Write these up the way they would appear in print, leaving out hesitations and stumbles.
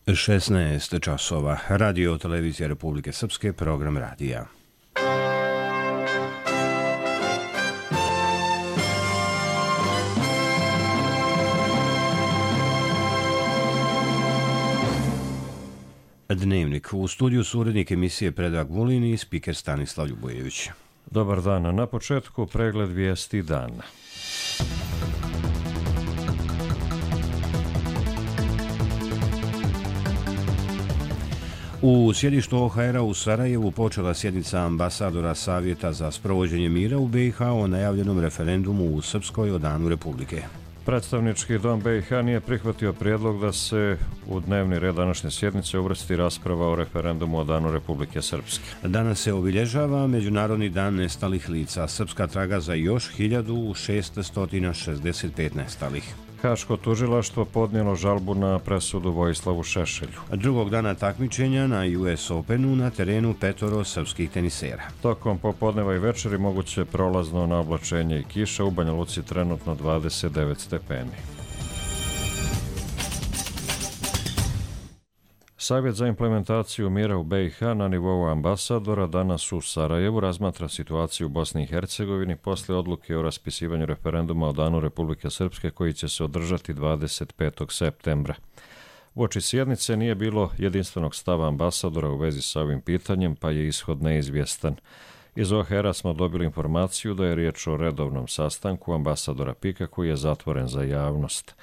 16 časova. Radio televizija Republike Srpske, program radija. Dnevnik. U studiju su urednik emisije Predrag Vulin i spiker Stanislav Ljubojević. Dobar dan. Na početku pregled vijesti dana. U sjedištu OHR-a u Sarajevu počela sjednica ambasadora Savjeta za sprovođenje mira u BiH o najavljenom referendumu u Srpskoj o Danu Republike. Predstavnički dom BiH nije prihvatio prijedlog da se u dnevni red današnje sjednice uvrsti rasprava o referendumu o Danu Republike Srpske. Danas se obilježava Međunarodni dan nestalih lica. Srpska traga za još 1665 nestalih. Haško tužilaštvo podnijelo žalbu na presudu Vojislavu Šešelju. Drugog dana takmičenja na US Openu na terenu 5 srpskih tenisera. Tokom popodneva i večeri moguće prolazno na oblačenje i kiša, u Banja Luci trenutno 29 stepeni. Savjet za implementaciju mira u BiH na nivou ambasadora danas u Sarajevu razmatra situaciju u Bosni i Hercegovini poslije odluke o raspisivanju referenduma o Danu Republike Srpske koji će se održati 25. septembra. Uoči sjednice nije bilo jedinstvenog stava ambasadora u vezi sa ovim pitanjem, pa je ishod neizvjestan. Iz OHR-a smo dobili informaciju da je riječ o redovnom sastanku ambasadora Pika koji je zatvoren za javnost.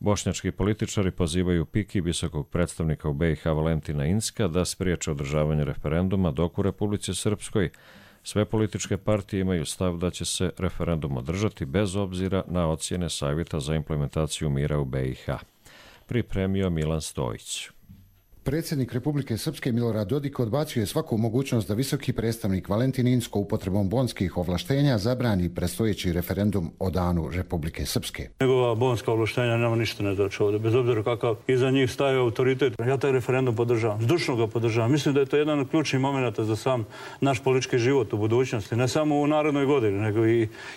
Bošnjački političari pozivaju Piki i visokog predstavnika u BiH Valentina Incka da spriječe održavanje referenduma, dok u Republici Srpskoj sve političke partije imaju stav da će se referendum održati bez obzira na ocjene Savjeta za implementaciju mira u BiH. Pripremio Milan Stojić. Predsjednik Republike Srpske Milorad Dodik odbacio je svaku mogućnost da visoki predstavnik Valentin Incko upotrebom bonskih ovlaštenja zabrani predstojeći referendum o Danu Republike Srpske. Njegova bonska ovlaštenja nema ništa ne doći ovdje, bez obzira kakav iza njih staje autoritet. Ja taj referendum podržavam, zdušno ga podržavam. Mislim da je to jedan od ključnih momenata za sam naš politički život u budućnosti, ne samo u narednoj godini, nego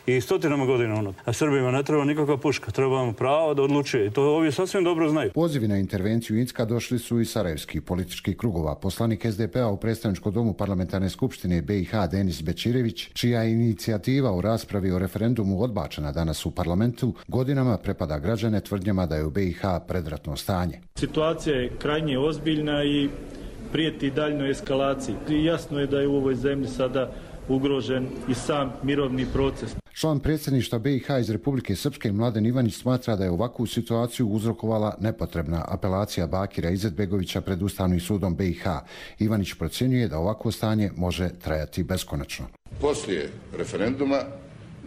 i stotinama godina unad. A Srbima ne treba nikakva puška, treba mu pravo da odlučuje i to ovi sasvim dobro znaju. Pozivi na intervenciju Incka došli su i sarajevskih političkih krugova. Poslanik SDP-a u predstavničkom domu parlamentarne skupštine BiH Denis Bečirević, čija je inicijativa u raspravi o referendumu odbačena danas u parlamentu, godinama prepada građane tvrdnjama da je u BiH predratno stanje. Situacija je krajnje ozbiljna i prijeti daljnjoj eskalaciji. I jasno je da je u ovoj zemlji sada ugrožen i sam mirovni proces. Član predsjedništva BiH iz Republike Srpske Mladen Ivanić smatra da je ovakvu situaciju uzrokovala nepotrebna apelacija Bakira Izetbegovića pred Ustavnim sudom BiH. Ivanić procjenjuje da ovakvo stanje može trajati beskonačno. Poslije referenduma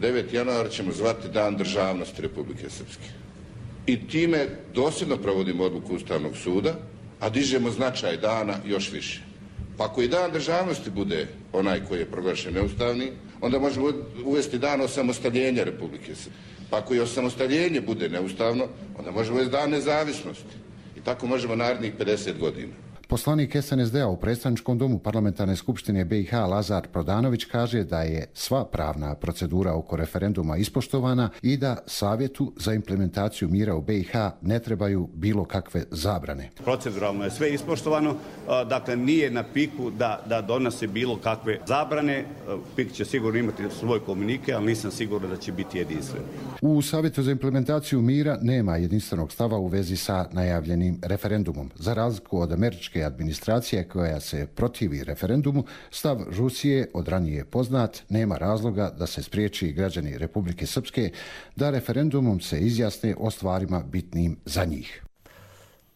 9. januara ćemo zvati Dan državnosti Republike Srpske. I time dosljedno provodimo odluku Ustavnog suda, a dižemo značaj dana još više. Pa ako i Dan državnosti bude onaj koji je proglašen neustavni, onda možemo uvesti dan osamostaljenja Republike Srpske. Pa ako i osamostaljenje bude neustavno, onda možemo uvesti Dan nezavisnosti. I tako možemo narednih 50 godina. Poslanik SNSD-a u predstavničkom domu parlamentarne skupštine BiH Lazar Prodanović kaže da je sva pravna procedura oko referenduma ispoštovana i da Savjetu za implementaciju mira u BiH ne trebaju bilo kakve zabrane. Proceduralno je sve ispoštovano, dakle nije na Piku da donose bilo kakve zabrane. Pik će sigurno imati svoj komunike, ali nisam siguran da će biti jedinstven. U Savjetu za implementaciju mira nema jedinstvenog stava u vezi sa najavljenim referendumom. Za razliku od američke administracije koja se protivi referendumu, stav Rusije od ranije poznat, nema razloga da se spriječi građani Republike Srpske da referendumom se izjasne o stvarima bitnim za njih.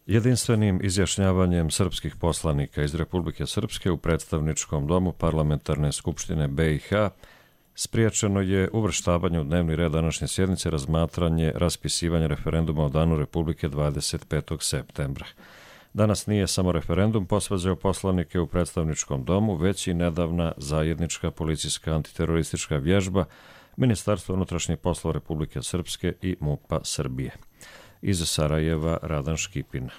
Jedinstvenim izjašnjavanjem srpskih poslanika iz Republike Srpske u predstavničkom domu parlamentarne skupštine BiH spriječeno je uvrštavanje u dnevni red današnje sjednice razmatranje raspisivanja referenduma o Danu Republike 25. septembra. Danas nije samo referendum posvađao poslanike u predstavničkom domu, već i nedavna zajednička policijska antiteroristička vježba Ministarstva unutrašnjih poslova Republike Srpske i MUP-a Srbije. Iz Sarajeva Radan Škipina.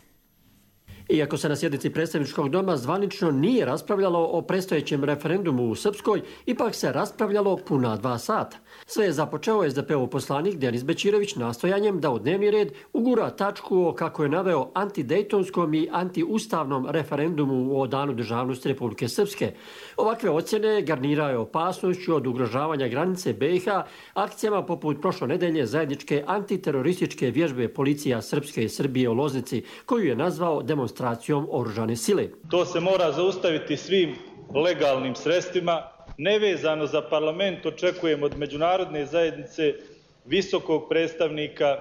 Iako se na sjednici predstavničkog doma zvanično nije raspravljalo o predstojećem referendumu u Srpskoj, ipak se raspravljalo puna 2 sata. Sve je započeo SDP-ov poslanik Denis Bećirović nastojanjem da u dnevni red ugura tačku o, kako je naveo, antidejtonskom i antiustavnom referendumu o Danu državnosti Republike Srpske. Ovakve ocjene garnirao je opasnošću od ugrožavanja granice BiH akcijama poput prošle nedelje zajedničke antiterorističke vježbe policija Srpske i Srbije u Loznici, koju je nazvao demonstracijom oružane sile. To se mora zaustaviti svim legalnim sredstvima. Nevezano za parlament očekujem od međunarodne zajednice, visokog predstavnika,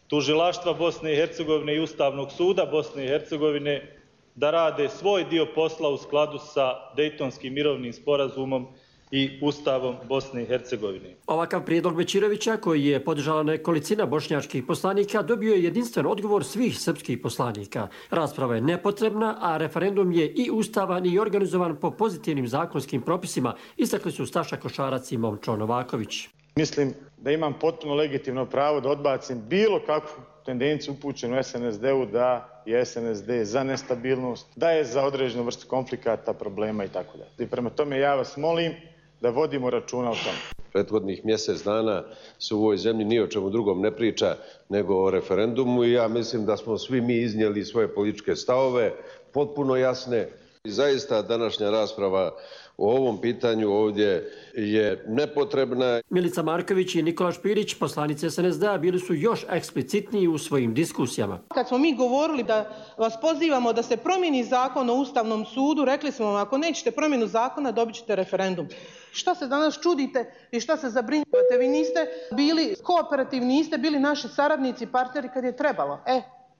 tužilaštva Bosne i Hercegovine i Ustavnog suda Bosne i Hercegovine da rade svoj dio posla u skladu sa Dejtonskim mirovnim sporazumom i Ustavom Bosne i Hercegovine. Ovakav prijedlog Bećirovića, koji je podržala nekolicina bošnjačkih poslanika, dobio je jedinstven odgovor svih srpskih poslanika. Rasprava je nepotrebna, a referendum je i ustavan i organizovan po pozitivnim zakonskim propisima, istakli su Staša Košarac i Momčo Novaković. Mislim da imam potpuno legitimno pravo da odbacim bilo kakvu tendenciju upućenu SNSD-u da je SNSD za nestabilnost, da je za određenu vrstu konflikata, problema i tako dalje. I prema tome ja vas molim da vodimo računa o tome. Prethodnih mjesec dana se u ovoj zemlji ni o čemu drugom ne priča nego o referendumu i ja mislim da smo svi mi iznijeli svoje političke stavove, potpuno jasne. I zaista današnja rasprava o ovom pitanju ovdje je nepotrebna. Milica Marković i Nikola Špirić, poslanice SNSD-a, bili su još eksplicitniji u svojim diskusijama. Kad smo mi govorili da vas pozivamo da se promijeni zakon o Ustavnom sudu, rekli smo vam, ako nećete promjenu zakona, dobit ćete referendum. Šta se danas čudite i šta se zabrinjavate? Vi niste bili kooperativni, niste bili naši saradnici, partneri kad je trebalo.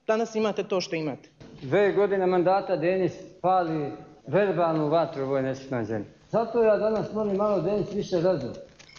Danas imate to što imate. 2 godine mandata Denis pali verbalnu vatru u ovoj nesretnoj zemlji. Zato ja danas molim malo Denis više razum.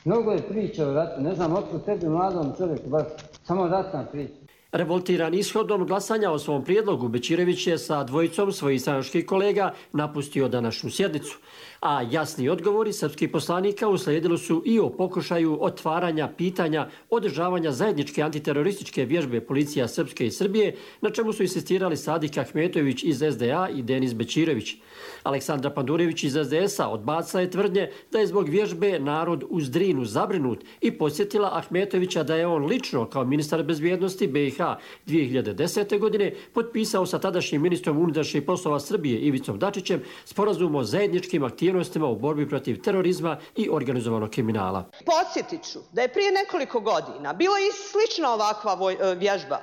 Mnogo je priča o ratu, ne znam otkud tebi mladom čovjeku, baš samo ratna priča. Revoltiran ishodom glasanja o svom prijedlogu, Bećirović je sa dvojicom svojih stranačkih kolega napustio današnju sjednicu. A jasni odgovori srpskih poslanika uslijedili su i o pokušaju otvaranja pitanja održavanja zajedničke antiterorističke vježbe policija Srpske i Srbije, na čemu su insistirali Sadik Ahmetović iz SDA i Denis Bećirović. Aleksandra Pandurević iz SDS-a odbacila je tvrdnje da je zbog vježbe narod uz Drinu zabrinut i podsjetila Ahmetovića da je on lično kao ministar bezbjednosti BiH 2010. godine potpisao sa tadašnjim ministrom unutrašnjih poslova Srbije Ivicom Dačićem sporazum o zajedničkim aktivnostima u borbi protiv terorizma i organizovanog kriminala. Podsjetit ću da je prije nekoliko godina bila i slična ovakva vježba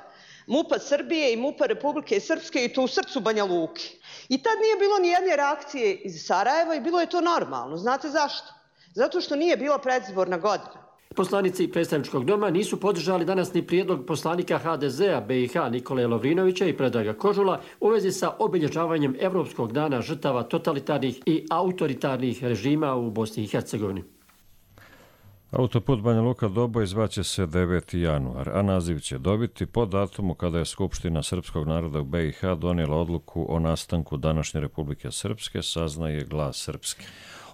MUP-a Srbije i MUP-a Republike Srpske i to u srcu Banja Luke. I tad nije bilo ni jedne reakcije iz Sarajeva i bilo je to normalno. Znate zašto? Zato što nije bila predizborna godina. Poslanici predstavničkog doma nisu podržali danas ni prijedlog poslanika HDZ-a BiH Nikole Lovrinovića i Predraga Kožula u vezi sa obilježavanjem Evropskog dana žrtava totalitarnih i autoritarnih režima u Bosni i Hercegovini. Autoput Banja Luka-Doboj zvaće se 9. januar, a naziv će dobiti po datumu kada je Skupština srpskog naroda u BiH donijela odluku o nastanku današnje Republike Srpske, saznaje Glas Srpske.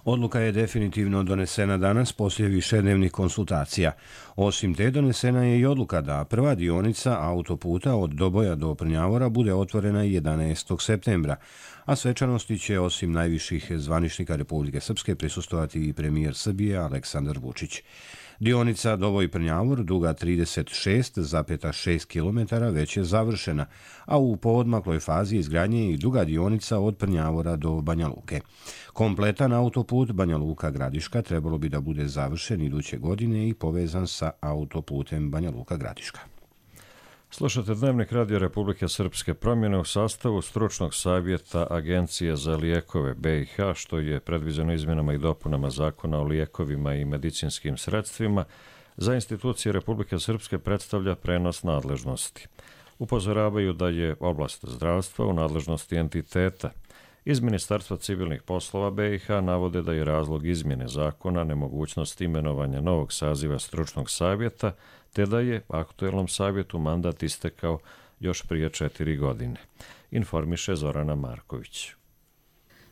Odluka je definitivno donesena danas poslije višednevnih konsultacija. Osim te donesena je i odluka da prva dionica autoputa od Doboja do Prnjavora bude otvorena 11. septembra, a svečanosti će osim najviših zvaničnika Republike Srpske prisustovati i premijer Srbije Aleksandar Vučić. Dionica Doboj-Prnjavor, duga 36,6 km, već je završena, a u poodmakloj fazi izgradnje je i druga dionica od Prnjavora do Banja Luke. Kompletan autoput Banja Luka-Gradiška trebalo bi da bude završen iduće godine i povezan sa autoputem Banja Luka-Gradiška. Slušate Dnevnik Radio Republike Srpske. Promjene u sastavu stručnog savjeta Agencije za lijekove BiH, što je predviđeno izmjenama i dopunama Zakona o lijekovima i medicinskim sredstvima, za institucije Republike Srpske predstavlja prenos nadležnosti. Upozoravaju da je oblast zdravstva u nadležnosti entiteta. Iz Ministarstva civilnih poslova BiH navode da je razlog izmjene zakona nemogućnost imenovanja novog saziva stručnog savjeta, te da je aktuelnom savjetu mandat istekao još prije 4 godine. Informiše Zorana Marković.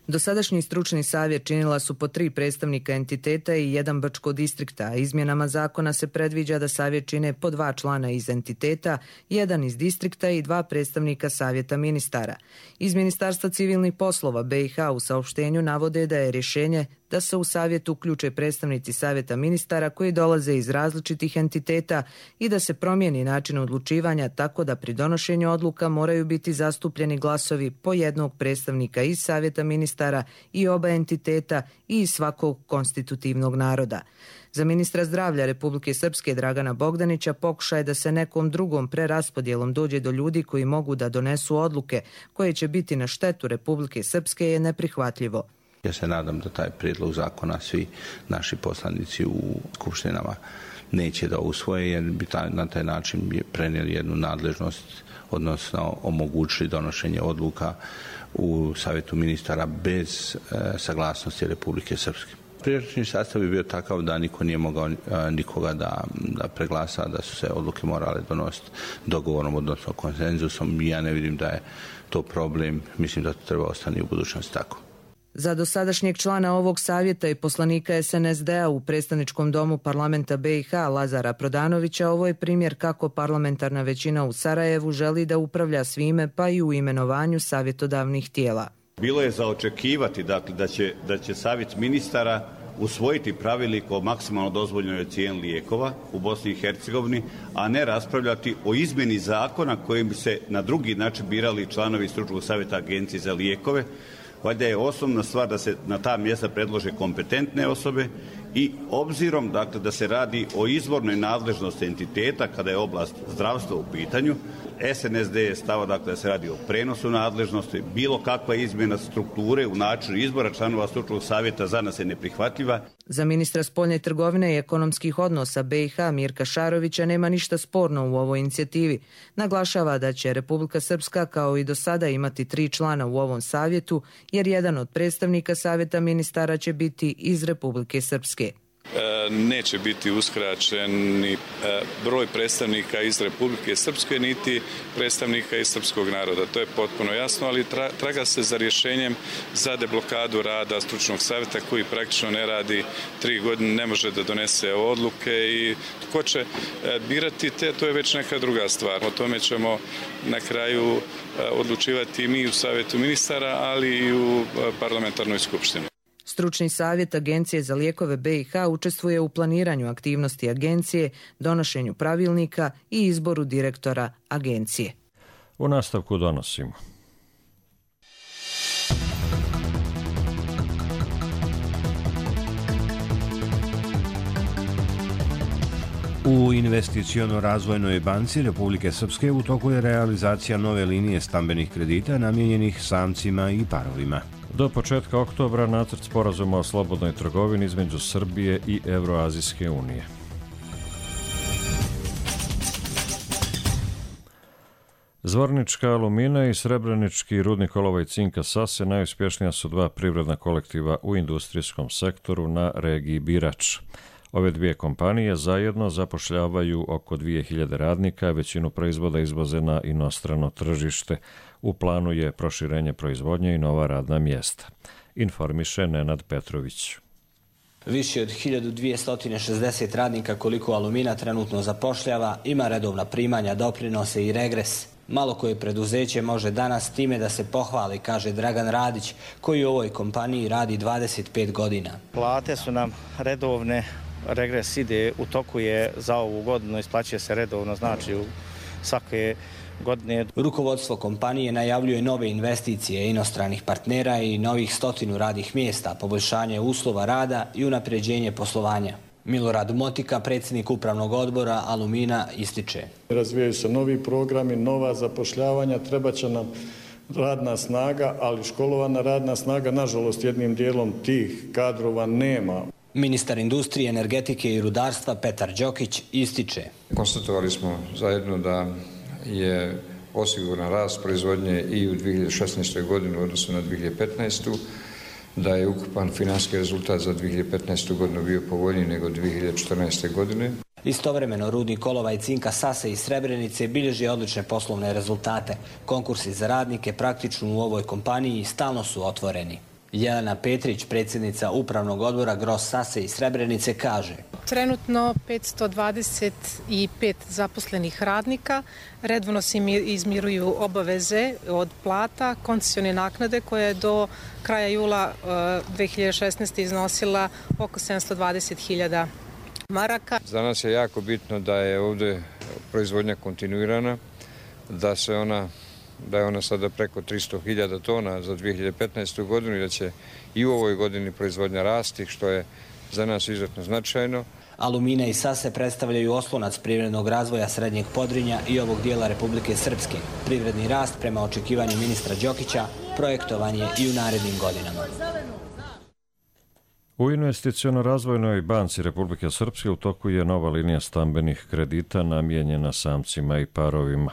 Dosadašnji stručni savjet činila su po 3 predstavnika entiteta i 1 Brčko distrikta, a izmjenama zakona se predviđa da savjet čine po 2 člana iz entiteta, 1 iz distrikta i 2 predstavnika savjeta ministara. Iz Ministarstva civilnih poslova BiH u saopštenju navode da je rješenje da se u savjet uključe predstavnici savjeta ministara koji dolaze iz različitih entiteta i da se promijeni način odlučivanja tako da pri donošenju odluka moraju biti zastupljeni glasovi po 1 predstavnika iz savjeta ministara i oba entiteta i iz svakog konstitutivnog naroda. Za ministra zdravlja Republike Srpske Dragana Bogdanića pokušaj da se nekom drugom preraspodjelom dođe do ljudi koji mogu da donesu odluke koje će biti na štetu Republike Srpske je neprihvatljivo. Ja se nadam da taj prijedlog zakona svi naši poslanici u skupštinama neće da usvoje, jer bi na taj način prenijeli jednu nadležnost, odnosno omogućili donošenje odluka u savjetu ministara bez saglasnosti Republike Srpske. Prijašnji sastav bi bio takav da niko nije mogao nikoga da preglasa, da su se odluke morale donositi dogovorom, odnosno konsenzusom. Ja ne vidim da je to problem, mislim da to treba ostati u budućnosti tako. Za dosadašnjeg člana ovog savjeta i poslanika SNSD-a u predstavničkom domu parlamenta BiH Lazara Prodanovića ovo je primjer kako parlamentarna većina u Sarajevu želi da upravlja svime pa i u imenovanju savjetodavnih tijela. Bilo je za očekivati dakle, da će savjet ministara usvojiti pravilnik o maksimalno dozvoljenoj cijeni lijekova u Bosni i Hercegovini, a ne raspravljati o izmjeni zakona kojim bi se na drugi način birali članovi stručnog savjeta Agencije za lijekove. Valjda je osnovna stvar da se na ta mjesta predlože kompetentne osobe i obzirom dakle, da se radi o izvornoj nadležnosti entiteta kada je oblast zdravstva u pitanju, SNSD je stava dakle, da se radi o prenosu nadležnosti, bilo kakva izmjena strukture u načinu izbora članova stručnog savjeta za nas je neprihvatljiva. Za ministra spoljne trgovine i ekonomskih odnosa BiH Mirka Šarovića nema ništa sporno u ovoj inicijativi. Naglašava da će Republika Srpska kao i do sada imati 3 člana u ovom savjetu, jer jedan od predstavnika savjeta ministara će biti iz Republike Srpske. Neće biti uskraćen ni broj predstavnika iz Republike Srpske, niti predstavnika iz srpskog naroda. To je potpuno jasno, ali traga se za rješenjem za deblokadu rada stručnog savjeta koji praktično ne radi 3 godine, ne može da donese odluke i tko će birati te, to je već neka druga stvar. O tome ćemo na kraju odlučivati mi u savjetu ministara, ali i u parlamentarnoj skupštini. Stručni savjet Agencije za lijekove BiH učestvuje u planiranju aktivnosti agencije, donošenju pravilnika i izboru direktora agencije. U nastavku donosimo. U investiciono-razvojnoj banci Republike Srpske u toku je realizacija nove linije stambenih kredita namijenjenih samcima i parovima. Do početka oktobra nacrt sporazuma o slobodnoj trgovini između Srbije i Evroazijske unije. Zvornička Alumina i Srebrenički rudnik olova i cinka Sase najuspješnija su 2 privredna kolektiva u industrijskom sektoru na regiji Birač. Ove 2 kompanije zajedno zapošljavaju oko 2000 radnika, većinu proizvoda izvoze na inostrano tržište. U planu je proširenje proizvodnje i nova radna mjesta. Informiše Nenad Petrović. Više od 1260 radnika koliko Alumina trenutno zapošljava, ima redovna primanja, doprinose i regres. Malo koje preduzeće može danas time da se pohvali, kaže Dragan Radić, koji u ovoj kompaniji radi 25 godina. Plate su nam redovne, regres ide, u toku je za ovu godinu, isplaćuje se redovno, znači u svake godine. Rukovodstvo kompanije najavljuje nove investicije inostranih partnera i novih 100 radnih mjesta, poboljšanje uslova rada i unapređenje poslovanja. Milorad Motika, predsjednik upravnog odbora Alumina, ističe. Razvijaju se novi programi, nova zapošljavanja, treba će nam radna snaga, ali školovana radna snaga, nažalost, jednim dijelom tih kadrova nema. Ministar industrije, energetike i rudarstva Petar Đokić ističe. Konstatovali smo zajedno da je osiguran rast proizvodnje i u 2016. godini u odnosu na 2015. Da je ukupan financijski rezultat za 2015. godinu bio povoljniji nego 2014. godine. Istovremeno rudnik olova i cinka Sase i Srebrenice bilježi odlične poslovne rezultate. Konkursi za radnike praktično u ovoj kompaniji stalno su otvoreni. Jelena Petrić, predsjednica Upravnog odbora Gros Sase iz Srebrenice, kaže: Trenutno 525 zaposlenih radnika, redovno se izmiruju obaveze od plata, koncesione naknade koja je do kraja jula 2016. iznosila oko 720.000 maraka. Za nas je jako bitno da je ovdje proizvodnja kontinuirana, da je ona sada preko 300.000 tona za 2015. godinu i da će i u ovoj godini proizvodnja rasti, što je za nas izuzetno značajno. Alumina i Sase predstavljaju oslonac privrednog razvoja Srednjeg Podrinja i ovog dijela Republike Srpske. Privredni rast, prema očekivanju ministra Đokića, projektovan je i u narednim godinama. U Investiciono-razvojnoj banci Republike Srpske u toku je nova linija stambenih kredita namijenjena samcima i parovima.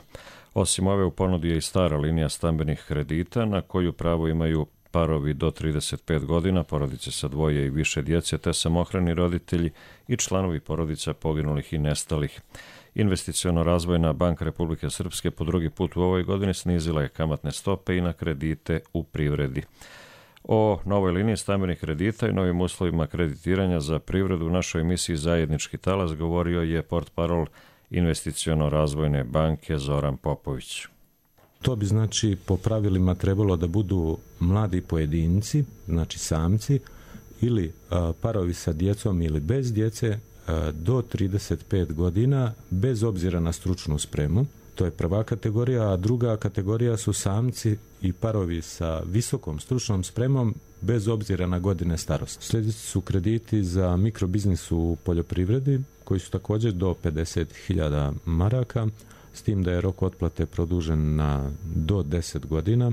Osim ove, u ponudi je i stara linija stambenih kredita na koju pravo imaju parovi do 35 godina, porodice sa dvoje i više djece, te samohrani roditelji i članovi porodica poginulih i nestalih. Investiciono-razvojna banka Republike Srpske po drugi put u ovoj godini snizila je kamatne stope i na kredite u privredi. O novoj liniji stambenih kredita i novim uslovima kreditiranja za privredu u našoj emisiji Zajednički talas govorio je portparol Investiciono-razvojne banke Zoran Popović. To bi znači po pravilima trebalo da budu mladi pojedinci, znači samci, ili parovi sa djecom ili bez djece do 35 godina, bez obzira na stručnu spremu. To je prva kategorija, a druga kategorija su samci i parovi sa visokom stručnom spremom bez obzira na godine starosti. Sljedeći su krediti za mikrobiznis u poljoprivredi koji su također do 50.000 maraka, s tim da je rok otplate produžen na do 10 godina.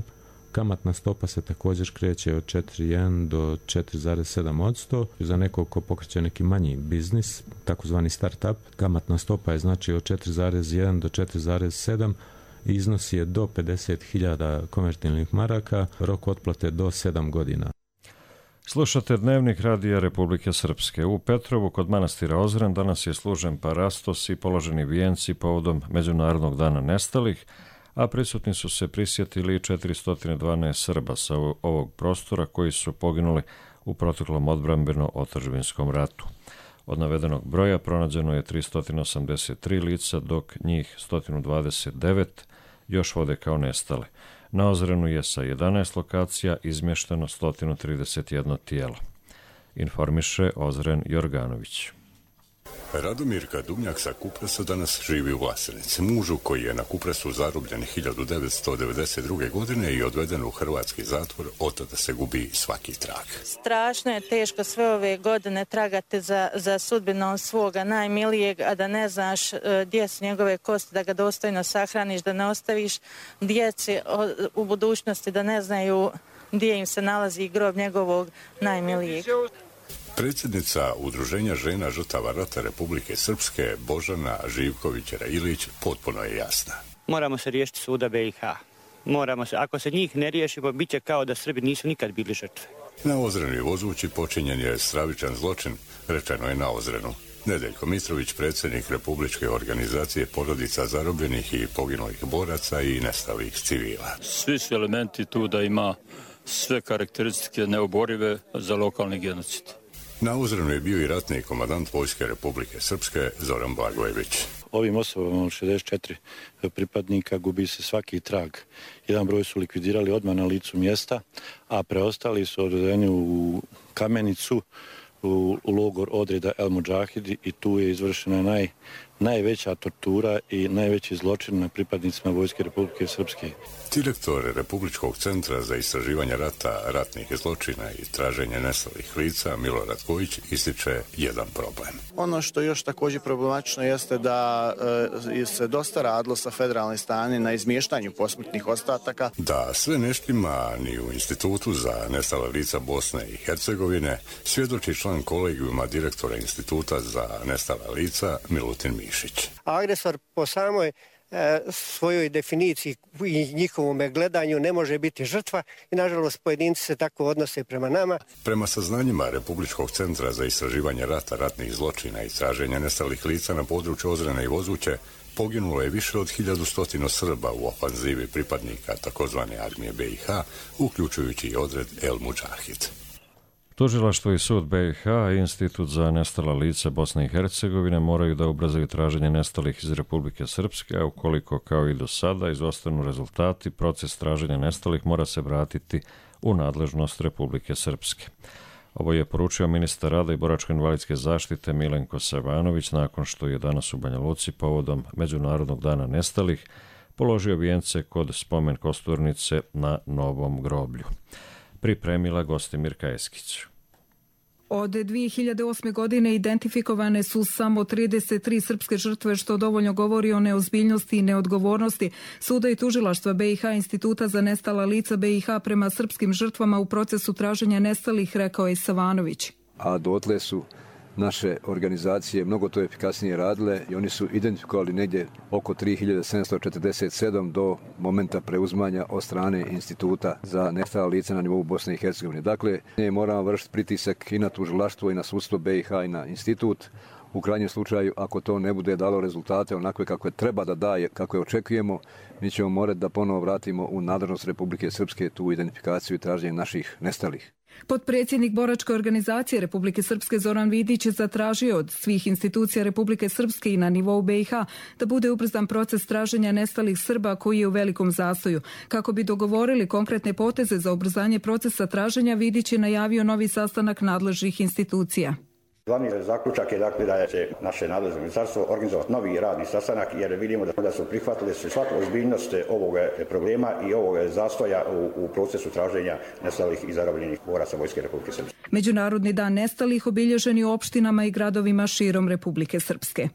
Kamatna stopa se također kreće od 4,1 do 4,7%. Za nekog ko pokreće neki manji biznis, takozvani start-up, kamatna stopa je znači od 4,1 do 4,7, iznos je do 50.000 konvertibilnih maraka, rok otplate do 7 godina. Slušate Dnevnik radija Republike Srpske. U Petrovu kod manastira Ozren danas je služen parastos i položeni vijenci povodom Međunarodnog dana nestalih, a prisutni su se prisjetili 412 Srba sa ovog prostora koji su poginuli u proteklom odbrambeno-otadžbinskom ratu. Od navedenog broja pronađeno je 383 lica, dok njih 129 još vode kao nestale. Na Ozrenu je sa 11 lokacija izmješteno 131 tijelo. Informiše Ozren Jorganović. Radomirka Dumnjak sa Kupresa danas živi u Vlasenici, mužu koji je na Kupresu zarobljen 1992. godine i odveden u hrvatski zatvor, od tada se gubi svaki trag. Strašno je teško sve ove godine tragati za sudbinom svoga najmilijeg, a da ne znaš gdje su njegove kosti, da ga dostojno sahraniš, da ne ostaviš djeci u budućnosti, da ne znaju gdje im se nalazi grob njegovog najmilijeg. Predsjednica Udruženja žena žrtava rata Republike Srpske, Božana Živković-Railić, potpuno je jasna. Moramo se riješiti suda BiH. Ako se njih ne riješimo, bit će kao da Srbi nisu nikad bili žrtve. Na Ozrenu i Vozući počinjen je stravičan zločin, rečeno je na Ozrenu. Nedeljko Mitrović, predsjednik Republičke organizacije porodica zarobljenih i poginulih boraca i nestalih civila. Svi su elementi tu da ima sve karakteristike neoborive za lokalni genocid. Na Ozrenu je bio i ratni komandant Vojske Republike Srpske Zoran Blagojević. Ovim osobama od 64 pripadnika gubi se svaki trag. Jedan broj su likvidirali odmah na licu mjesta, a preostali su odvedeni u Kamenicu, u logor odreda El Mudžahidi, i tu je izvršena najveća tortura i najveći zločin na pripadnicima Vojske Republike Srpske. Direktor Republičkog centra za istraživanje rata, ratnih zločina i traženje nestalih lica Milorad Kojić ističe jedan problem. Ono što još također problematično jeste da se dosta radilo sa federalne strane na izmještanju posmrtnih ostataka. Da sve ne štima ni u Institutu za nestala lica Bosne i Hercegovine svjedoči član kolegijuma direktora Instituta za nestala lica Milutin Mišić. Agresor po samoj svojoj definiciji i njihovom gledanju ne može biti žrtva i nažalost pojedinci se tako odnose prema nama. Prema saznanjima Republičkog centra za istraživanje rata, ratnih zločina i traženja nestalih lica na području Ozrena i Vozuće, poginulo je više od 1100 Srba u ofanzivi pripadnika takozvane armije BiH, uključujući i odred El Mudžahid. Tužilaštvo i sud BiH i Institut za nestala lica Bosne i Hercegovine moraju da ubrzaju traženje nestalih iz Republike Srpske, a ukoliko kao i do sada izostanu rezultati, proces traženja nestalih mora se vratiti u nadležnost Republike Srpske. Ovo je poručio ministar rada i boračko-invalidske zaštite Milenko Savanović nakon što je danas u Banja Luci povodom Međunarodnog dana nestalih položio vijence kod spomen kosturnice na Novom groblju. Pripremila Gostimirka Eskić. Od 2008. godine identifikovane su samo 33 srpske žrtve, što dovoljno govori o neozbiljnosti i neodgovornosti suda i tužilaštva BiH Instituta za nestala lica BiH prema srpskim žrtvama u procesu traženja nestalih, rekao je Savanović. A dotle su naše organizacije mnogo to efikasnije radile i oni su identifikovali negdje oko 3747 do momenta preuzmanja od strane Instituta za nestala lica na nivou Bosne i Hercegovine. Dakle, moramo vršiti pritisak i na tužilaštvo i na sudstvo BiH i na institut. U krajnjem slučaju, ako to ne bude dalo rezultate onakve kakve treba da daje, kako je očekujemo, mi ćemo morati da ponovo vratimo u nadležnost Republike Srpske tu identifikaciju i traženje naših nestalih. Potpredsjednik boračke organizacije Republike Srpske Zoran Vidić je zatražio od svih institucija Republike Srpske i na nivou BiH da bude ubrzan proces traženja nestalih Srba koji je u velikom zastoju. Kako bi dogovorili konkretne poteze za ubrzanje procesa traženja, Vidić je najavio novi sastanak nadležnih institucija. Glavni zaključak je dakle da će naše nadležno ministarstvo organizovati novi radni sastanak jer vidimo da su prihvatili svaku ozbiljnost ovog problema i ovog zastoja u procesu traženja nestalih i zarobljenih boraca Vojske Republike Srpske. Međunarodni dan nestalih obilježen je u opštinama i gradovima širom Republike Srpske.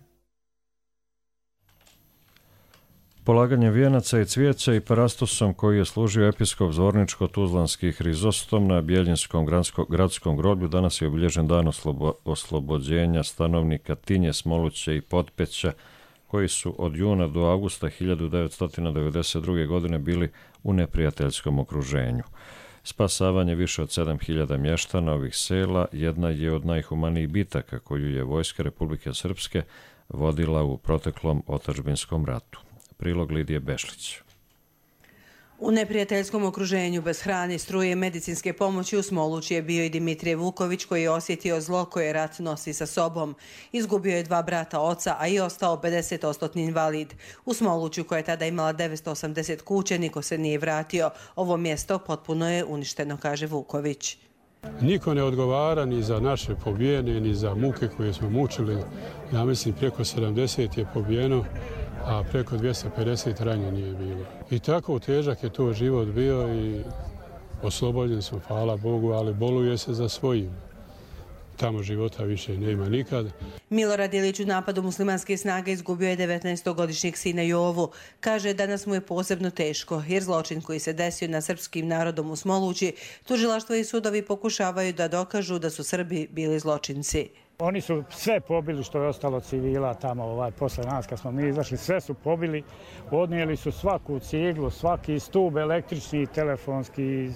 Polaganje vijenaca i cvijeća i parastosom koji je služio episkop Zvorničko-Tuzlanski Hrizostom na Bjeljinskom gradskom groblju danas je obilježen dan oslobođenja stanovnika Tinje, Smoluće i Potpeća koji su od juna do avgusta 1992. godine bili u neprijateljskom okruženju. Spasavanje više od 7000 mještana ovih sela jedna je od najhumanijih bitaka koju je Vojska Republike Srpske vodila u proteklom otadžbinskom ratu. Prilog Lidije Bešlić. U neprijateljskom okruženju bez hrane, struje i medicinske pomoći u Smolući je bio i Dimitrije Vuković koji je osjetio zlo koje rat nosi sa sobom. Izgubio je 2 brata oca, a i ostao 50% invalid. U Smoluću koja je tada imala 980 kuća niko se nije vratio. Ovo mjesto potpuno je uništeno, kaže Vuković. Niko ne odgovara ni za naše pobijene, ni za muke koje smo mučili. Ja mislim preko 70 je pobijeno, a preko 250 ranjenih je bilo. I tako težak je to život bio i oslobođen smo, hvala Bogu, ali boluje se za svojim. Tamo života više nema nikad. Milorad Ilić u napadu muslimanske snage izgubio je 19-godišnjeg sina Jovu. Kaže, danas mu je posebno teško, jer zločin koji se desio na srpskim narodom u Smolući, tužilaštvo i sudovi pokušavaju da dokažu da su Srbi bili zločinci. Oni su sve pobili što je ostalo civila tamo posle nas kad smo mi izašli, sve su pobili, odnijeli su svaku ciglu, svaki stub električni, telefonski,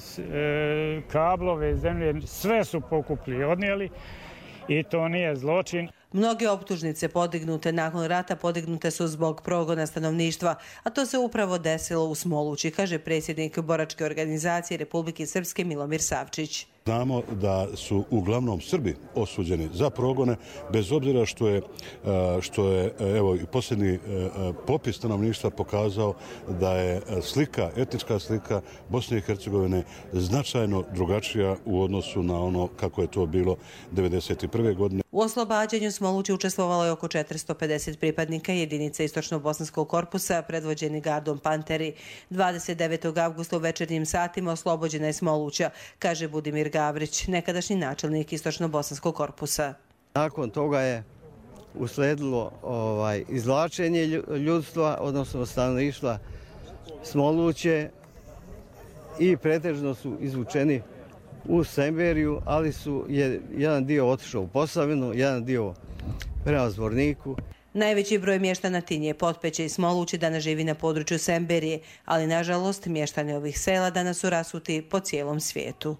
kablove, zemlje, sve su pokupili, odnijeli i to nije zločin. Mnoge optužnice podignute nakon rata podignute su zbog progona stanovništva, a to se upravo desilo u Smolući, kaže predsjednik boračke organizacije Republike Srpske Milomir Savčić. Znamo da su uglavnom Srbi osuđeni za progone, bez obzira što je evo i posljednji popis stanovništva pokazao da je slika, etnička slika Bosne i Hercegovine značajno drugačija u odnosu na ono kako je to bilo 1991. godine. U oslobađanju Smolući učestvovalo je oko 450 pripadnika jedinice Istočno-Bosanskog korpusa predvođeni gardom Panteri. 29. avgusta u večernjim satima oslobođena je Smoluća, kaže Budimir Gavrić, nekadašnji načelnik Istočno-Bosanskog korpusa. Nakon toga je usledilo izvlačenje ljudstva, odnosno stanovništva Smoluće i pretežno su izvučeni u Semberiju, ali je jedan dio otišao u Posavinu, jedan dio prema Zvorniku. Najveći broj mještana Tinje, Potpeće i Smolući danas živi na području Semberije, ali nažalost mještani ovih sela danas su rasuti po cijelom svijetu.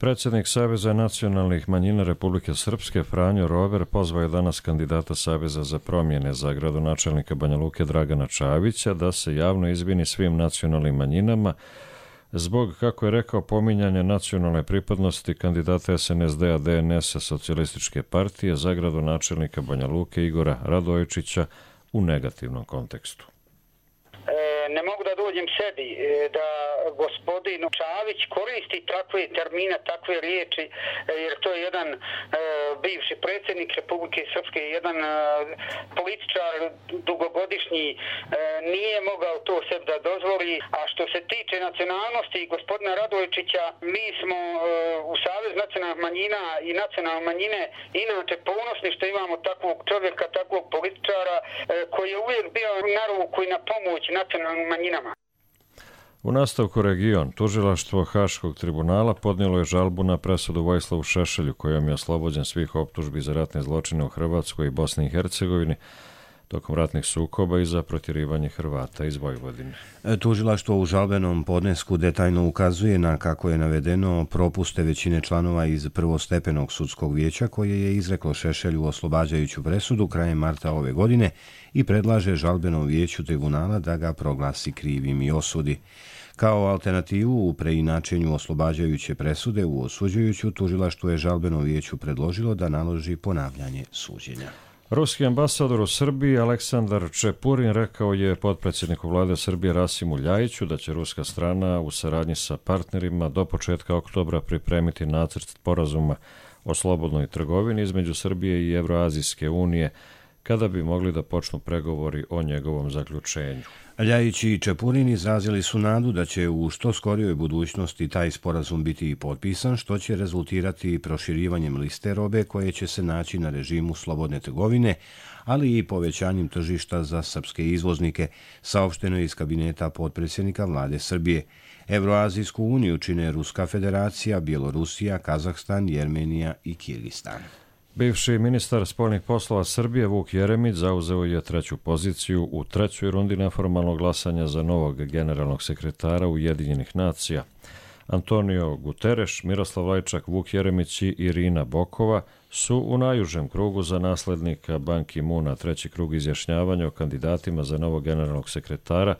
Predsjednik Saveza nacionalnih manjina Republike Srpske Franjo Rover pozvao je danas kandidata Saveza za promjene za gradonačelnika Banja Luke Dragana Čavića da se javno izvini svim nacionalnim manjinama zbog, kako je rekao, pominjanja nacionalne pripadnosti kandidata SNSD-a DNS-a Socijalističke partije za gradonačelnika Banja Luke Igora Radojičića u negativnom kontekstu. Ne mogu da dođem sebi da gospodin Čavić koristi takve termine, takve riječi, jer to je jedan bivši predsjednik Republike Srpske, jedan političar dugogodišnji, nije mogao to sebi da dozvoli. A što se tiče nacionalnosti gospodina Radojičića, mi smo u Savez nacionalnih manjina i nacionalne manjine inače ponosni što imamo takvog čovjeka, takvog političara koji je uvijek bio na ruku i na pomoć nacionalnim manjinama. U nastavku region, tužilaštvo Haškog tribunala podnijelo je žalbu na presudu Vojislavu Šešelju kojom je oslobođen svih optužbi za ratne zločine u Hrvatskoj i Bosni i Hercegovini tokom ratnih sukoba i za protjerivanje Hrvata iz Vojvodine. Tužilaštvo u žalbenom podnesku detaljno ukazuje na, kako je navedeno, propuste većine članova iz prvostepenog sudskog vijeća koje je izreklo Šešelju oslobađajuću presudu krajem marta ove godine i predlaže žalbenom vijeću tribunala da ga proglasi krivim i osudi. Kao alternativu u preinačenju oslobađajuće presude u osuđujuću, tužilaštvo je žalbenom vijeću predložilo da naloži ponavljanje suđenja. Ruski ambasador u Srbiji Aleksandar Čepurin rekao je potpredsjedniku vlade Srbije Rasimu Ljajiću da će ruska strana u saradnji sa partnerima do početka oktobra pripremiti nacrt sporazuma o slobodnoj trgovini između Srbije i Evroazijske unije kada bi mogli da počnu pregovori o njegovom zaključenju. Ljajić i Čepurin izrazili su nadu da će u što skorijoj budućnosti taj sporazum biti i potpisan, što će rezultirati proširivanjem liste robe koje će se naći na režimu slobodne trgovine, ali i povećanjem tržišta za srpske izvoznike, saopšteno je iz kabineta potpredsjednika vlade Srbije. Evroazijsku uniju čine Ruska federacija, Bjelorusija, Kazahstan, Jermenija i Kirgistan. Bivši ministar spoljnih poslova Srbije Vuk Jeremić zauzeo je treću poziciju u trećoj rundi neformalnog glasanja za novog generalnog sekretara Ujedinjenih nacija. Antonio Guterres, Miroslav Lajčak, Vuk Jeremić i Irina Bokova su u najužem krugu za naslednika Ban Ki-moona. Treći krug izjašnjavanja o kandidatima za novog generalnog sekretara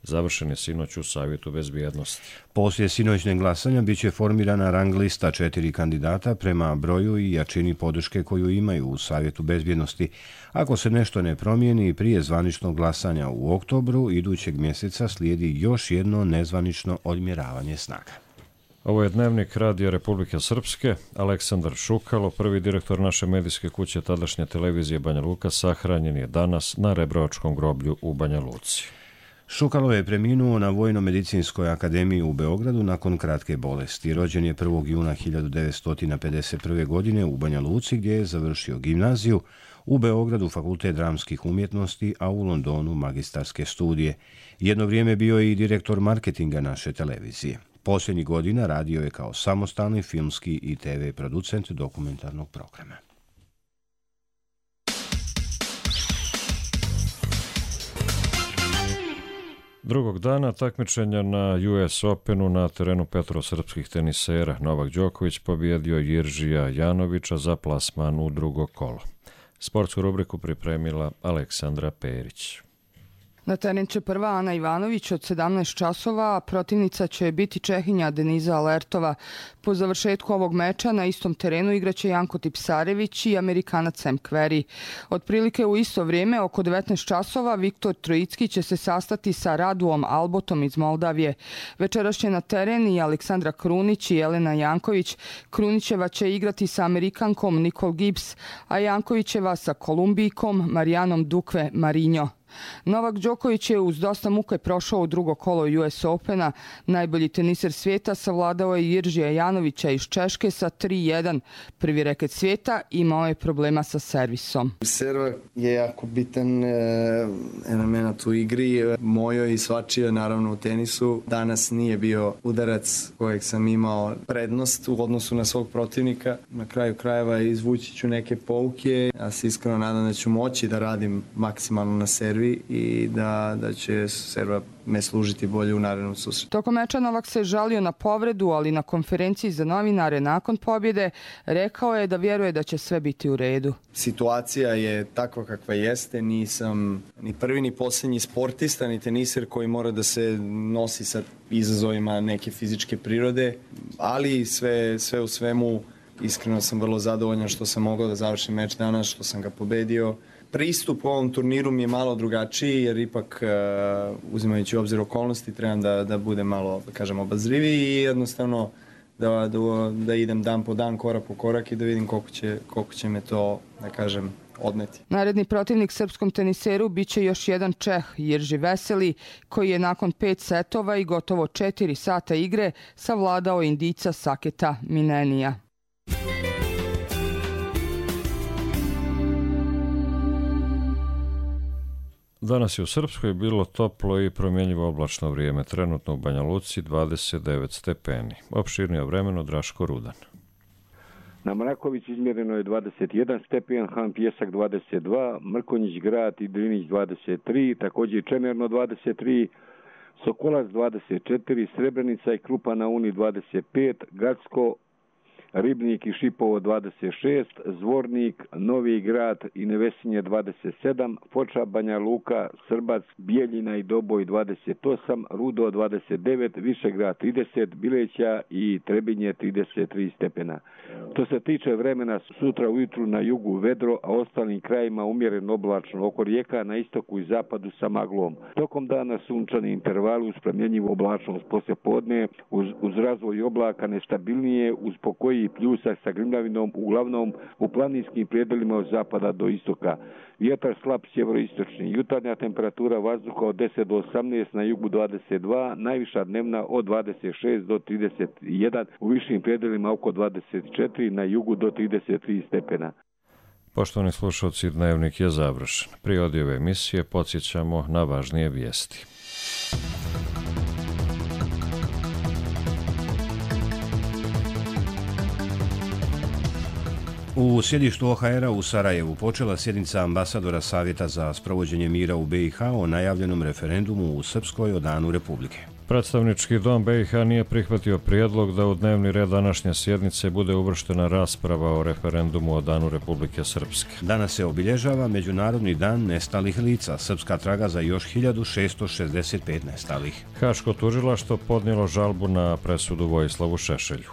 završen je sinoć u Savjetu bezbjednosti. Poslije sinoćnog glasanja biće formirana rang lista 4 kandidata prema broju i jačini podrške koju imaju u Savjetu bezbjednosti. Ako se nešto ne promijeni, prije zvaničnog glasanja u oktobru idućeg mjeseca slijedi još jedno nezvanično odmjeravanje snaga. Ovo je Dnevnik Radija Republike Srpske. Aleksandar Šukalo, prvi direktor naše medijske kuće tadašnje televizije Banja Luka, sahranjen je danas na Rebrovačkom groblju u Banja Luci. Šukalo je preminuo na Vojno-medicinskoj akademiji u Beogradu nakon kratke bolesti. Rođen je 1. juna 1951. godine u Banja Luci gdje je završio gimnaziju, u Beogradu Fakultet dramskih umjetnosti, a u Londonu magistarske studije. Jedno vrijeme bio je i direktor marketinga naše televizije. Posljednjih godina radio je kao samostalni filmski i TV producent dokumentarnog programa. Drugog dana takmičenja na US Openu na terenu petrosrpskih tenisera Novak Đoković pobjedio Jiržija Janovića za plasman u drugo kolo. Sportsku rubriku pripremila Aleksandra Perić. Na teren će prva Ana Ivanović od 17 časova, a protivnica će biti Čehinja Deniza Alertova. Po završetku ovog meča na istom terenu igraće Janko Tipsarević i Amerikanac Sam Querrey. Otprilike u isto vrijeme, oko 19 časova, Viktor Trojicki će se sastati sa Raduom Albotom iz Moldavije. Večeras će na teren i Aleksandra Krunić i Jelena Janković. Krunićeva će igrati sa Amerikankom Nicole Gibbs, a Jankovićeva sa Kolumbijkom Marijanom Duque Marinho. Novak Đoković je uz dosta muke prošao u drugo kolo US Opena. Najbolji teniser svijeta savladao je Jiržija Janovića iz Češke sa 3-1. Prvi reket svijeta imao je problema sa servisom. Server je jako bitan element u igri, mojoj i svačije naravno u tenisu. Danas nije bio udarac kojeg sam imao prednost u odnosu na svog protivnika. Na kraju krajeva izvući ću neke pouke. Ja se iskreno nadam da ću moći da radim maksimalno na servisu prvi i da će Srba me služiti bolje u narednom susretu. Tokom meča Novak se žalio na povredu, ali na konferenciji za novinare nakon pobjede rekao je da vjeruje da će sve biti u redu. Situacija je takva kakva jeste, nisam ni prvi ni posljednji sportista, ni teniser koji mora da se nosi sa izazovima neke fizičke prirode, ali sve u svemu iskreno sam vrlo zadovoljan što sam mogao da završim meč danas, što sam ga pobedio. Pristup ovom turniru mi je malo drugačiji jer ipak uzimajući u obzir okolnosti trebam da budem malo, da kažem, obazriviji i jednostavno da idem dan po dan, korak po korak i da vidim koliko će me to, da kažem, odneti. Naredni protivnik srpskom teniseru biće još jedan Čeh, Jirži Veseli, koji je nakon 5 setova i gotovo 4 sata igre savladao Indijca Saketa Minenija. Danas je u Srpskoj bilo toplo i promjenjivo oblačno vrijeme. Trenutno u Banja Luci 29 stepeni. Opširnije vremeno Draško Rudan. Na Mraković izmjereno je 21 stepen, Han Pjesak 22, Mrkonjić Grad i Drinić 23, također Čemerno 23, Sokolac 24, Srebrenica i Krupa na Uni 25, Gacko, Ribnik i Šipovo 26, Zvornik, Novi Grad i Nevesinje 27, Foča, Banja Luka, Srbac, Bijeljina i Doboj 28, Rudo 29, Višegrad 30, Bileća i Trebinje 33 stepena. Što se tiče vremena, sutra ujutru na jugu vedro, a ostalim krajima umjereno oblačno, oko rijeka na istoku i zapadu sa maglom. Tokom dana sunčani intervali uz promjenjivu oblačnost poslijepodne, uz razvoj oblaka nestabilnije, uz pokoji i pljusak sa grimljavinom, uglavnom u planinskim predjelima od zapada do istoka. Vjetar slab sjeveroistočni. Jutarnja temperatura vazduha od 10 do 18, na jugu 22, najviša dnevna od 26 do 31, u višim predjelima oko 24, na jugu do 33 stepena. Poštovani slušalci, dnevnik je završen. Prije ove emisije podsjećamo na važnije vijesti. U sjedištu OHR-a u Sarajevu počela sjednica ambasadora Savjeta za sprovođenje mira u BiH o najavljenom referendumu u Srpskoj o Danu Republike. Predstavnički dom BiH nije prihvatio prijedlog da u dnevni red današnje sjednice bude uvrštena rasprava o referendumu o Danu Republike Srpske. Danas se obilježava Međunarodni dan nestalih lica. Srpska traga za još 1665 nestalih. Haško tužilaštvo podnijelo žalbu na presudu Vojislavu Šešelju.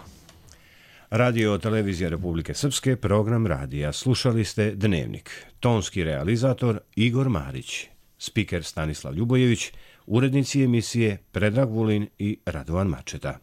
Radio Televizija Republike Srpske, program radija. Slušali ste Dnevnik. Tonski realizator Igor Marić. Spiker Stanislav Ljubojević. Urednici emisije Predrag Vulin i Radovan Mačeta.